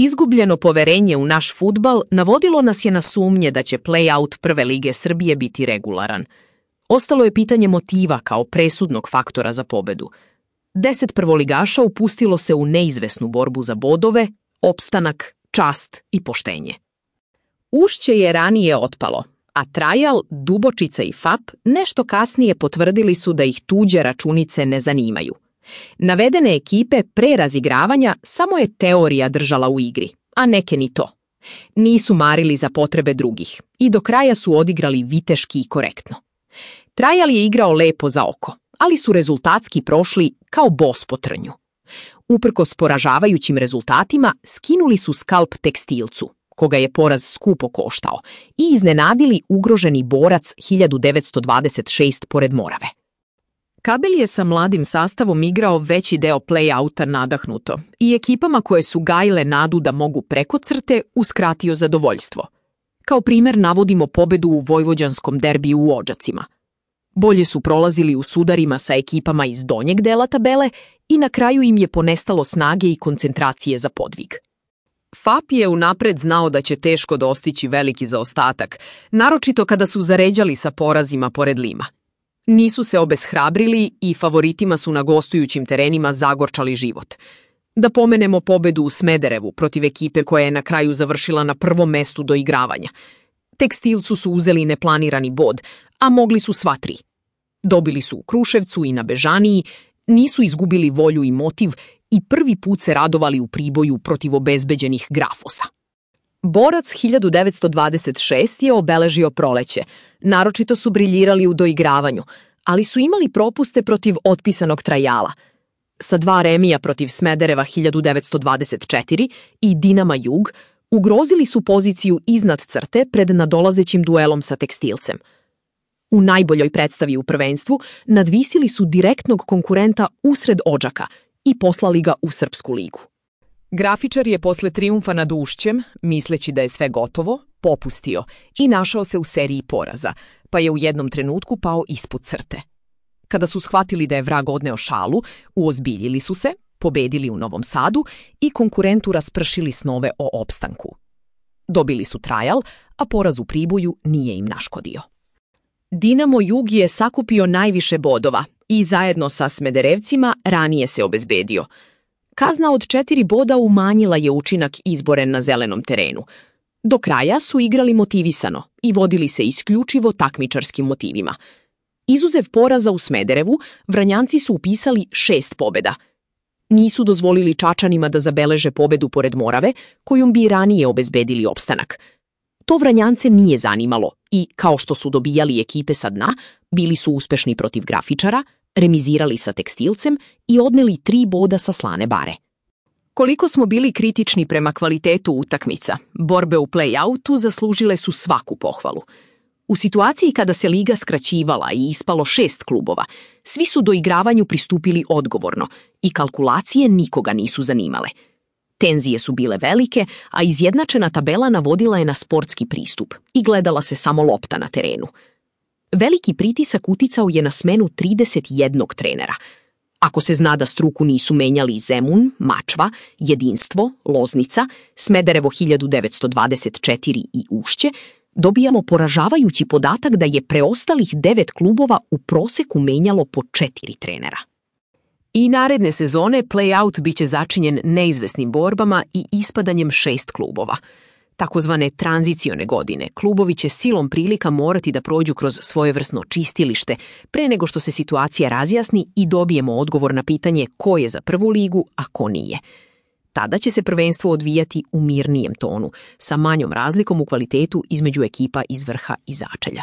Izgubljeno poverenje u naš fudbal navodilo nas je na sumnje da će play-out Prve lige Srbije biti regularan. Ostalo je pitanje motiva kao presudnog faktora za pobedu. 10 prvoligaša upustilo se u neizvesnu borbu za bodove, opstanak, čast i poštenje. Ušće je ranije otpalo, a Trajal, Dubočica i FAP nešto kasnije potvrdili su da ih tuđe računice ne zanimaju. Navedene ekipe pre razigravanja samo je teorija držala u igri, a neke ni to. Nisu marili za potrebe drugih i do kraja su odigrali viteški i korektno. Trajal je igrao lepo za oko, ali su rezultatski prošli kao bos po trnju. Uprkos poražavajućim rezultatima, skinuli su skalp Tekstilcu, koga je poraz skupo koštao, i iznenadili ugroženi Borac 1926 pored Morave. Kabel je sa mladim sastavom igrao veći deo play-outa nadahnuto i ekipama koje su gajile nadu da mogu preko crte uskratio zadovoljstvo. Kao primer navodimo pobedu u vojvođanskom derbiju u Odžacima. Bolje su prolazili u sudarima sa ekipama iz donjeg dela tabele i na kraju im je ponestalo snage i koncentracije za podvig. FAP je unapred znao da će teško dostići veliki zaostatak, naročito kada su zaređali sa porazima pored Lima. Nisu se obeshrabrili i favoritima su na gostujućim terenima zagorčali život. Da pomenemo pobedu u Smederevu protiv ekipe koja je na kraju završila na prvom mestu do igravanja. Tekstilcu su uzeli neplanirani bod, a mogli su sva tri. Dobili su u Kruševcu i na Bežaniji, nisu izgubili volju i motiv i prvi put se radovali u Priboju protiv obezbeđenih Grafosa. Borac 1926 je obeležio proleće, naročito su briljirali u doigravanju, ali su imali propuste protiv otpisanog Trajala. Sa 2 remija protiv Smedereva 1924 i Dinama Jug ugrozili su poziciju iznad crte pred nadolazećim duelom sa Tekstilcem. U najboljoj predstavi u prvenstvu nadvisili su direktnog konkurenta usred Odžaka i poslali ga u Srpsku ligu. Grafičar je posle trijumfa nad Ušćem, misleći da je sve gotovo, popustio i našao se u seriji poraza, pa je u jednom trenutku pao ispod crte. Kada su shvatili da je vrag odneo šalu, uozbiljili su se, pobedili u Novom Sadu i konkurentu raspršili snove o opstanku. Dobili su Trajal, a poraz u Priboju nije im naškodio. Dinamo Jug je sakupio najviše bodova i zajedno sa Smederevcima ranije se obezbedio. Kazna od 4 boda umanjila je učinak izboren na zelenom terenu. Do kraja su igrali motivisano i vodili se isključivo takmičarskim motivima. Izuzev poraza u Smederevu, Vranjanci su upisali 6 pobeda. Nisu dozvolili Čačanima da zabeleže pobedu pored Morave, kojom bi ranije obezbedili opstanak. To Vranjance nije zanimalo i, kao što su dobijali ekipe sa dna, bili su uspešni protiv Grafičara, remizirali sa Tekstilcem i odneli 3 boda sa Slane Bare. Koliko smo bili kritični prema kvalitetu utakmica, borbe u play-outu zaslužile su svaku pohvalu. U situaciji kada se liga skraćivala i ispalo 6 klubova, svi su doigravanju pristupili odgovorno i kalkulacije nikoga nisu zanimale. Tenzije su bile velike, a izjednačena tabela navodila je na sportski pristup i gledala se samo lopta na terenu. Veliki pritisak uticao je na smenu 31 trenera. Ako se zna da struku nisu menjali Zemun, Mačva, Jedinstvo, Loznica, Smederevo 1924 i Ušće, dobijamo poražavajući podatak da je preostalih 9 klubova u proseku menjalo po 4 trenera. I naredne sezone play-out biće začinjen neizvesnim borbama i ispadanjem 6 klubova. Takozvane tranzicione godine, klubovi će silom prilika morati da prođu kroz svojevrsno čistilište pre nego što se situacija razjasni i dobijemo odgovor na pitanje ko je za prvu ligu, a ko nije. Tada će se prvenstvo odvijati u mirnijem tonu, sa manjom razlikom u kvalitetu između ekipa iz vrha i začelja.